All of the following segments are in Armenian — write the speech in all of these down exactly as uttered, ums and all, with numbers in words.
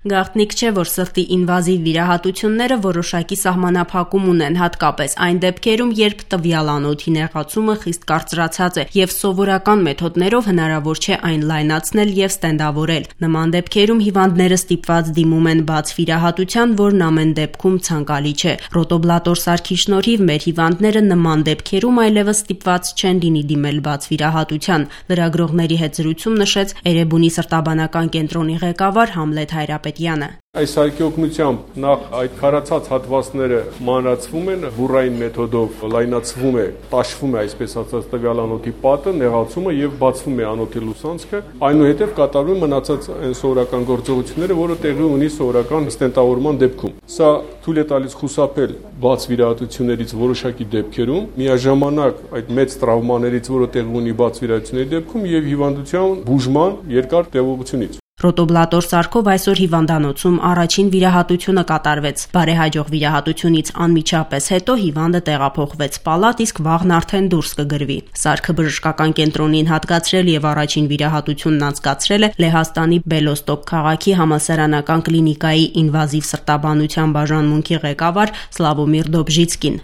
Գաղտնիք չէ, որ սրտի ինվազիվ վիրահատությունները որոշակի սահմանափակում ունեն, հատկապես այն դեպքերում, երբ տվյալ անոթի նեղացումը խիստ կարծրացած է և սովորական մեթոդներով հնարավոր չէ այն լայնացնել և ստենդավորել։ Նման դեպքերում հիվանդները ստիպված դիմում են բաց վիրահատության, որն ամեն դեպքում ցանկալի չէ։ Ռոտոբլատոր սարքի շնորհիվ մեր հիվանդները նման դեպքերում այլևս ստիպված չեն լինի դիմել բաց վիրահատության, լրագրողների հետ զրույցում նշեց Էրեբունի սրտաբանական կենտրոնի ղեկավար Համլետ Հայրապետյանը։ Այս սարքի օգնությամբ նախ այդ քարացած հատվածները մանրացվում են, բուրային մեթոդով լայնացվում է, տաշվում է այսպես ասած տվյալ անոթի պատը, նեղացումը եւ բացվում է անոթի լուսանցքը, այնուհետեւ կատարվում մնացած այն սովորական գործողությունները, որը տեղի ունի սովորական ստենտավորման դեպքում։ Սա թույլ է տալիս խուսափել բաց վիրահատություններից որոշակի դեպքերում, միաժամանակ այդ մեծ տրավմաներից, որը տեղի ունի բաց վիրահատությունների դեպքում եւ հիվանդության բուժման երկար տևողությունից։ Ռոտոբլատոր սարքով այսօր հիվանդանոցում առաջին վիրահատությունը կատարվեց։ Բարեհաջող վիրահատությունից անմիջապես հետո հիվանդը տեղափոխվեց պալատ, իսկ վաղն արդեն դուրս կգրվի։ Սարքը բժշկական կենտրոնին հատկացրել եւ առաջին վիրահատությունն անցկացրել է Լեհաստանի Բելոստոկ քաղաքի համալսարանական կլինիկայի ինվազիվ սրտաբանության բաժանմունքի ղեկավար Սլավոմիր Դոբժիցկին։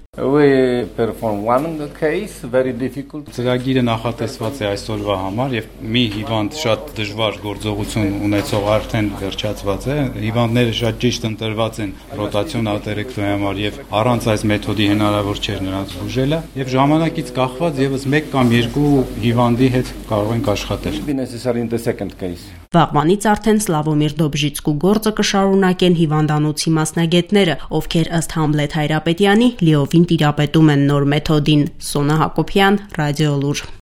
Ծրագիրը նախատեսված է այսօրվա համար եւ մի հիվանդ շատ դժվար գործողություն ունեցող արդեն վերջացված է, հիվանդները շատ ճիշտ ընտրված են ռոտացիոն ատերեկտոմի համար եւ առանց այս մեթոդի հնարավոր չէր նրանց բուժելը եւ ժամանակից կախված եւս մեկ կամ երկու հիվանդի հետ կարող ենք աշխատել։ Վաղվանից արդեն Սլավոմիր Դոբժիցկու գործը կշարունակեն հիվանդանոցի մասնագետները, ովքեր ըստ Համլետ Հայրապետյանի լիովին տիրապետում են նոր մեթոդին։ Սոնա Հակոբյան, Ռադիոլուր։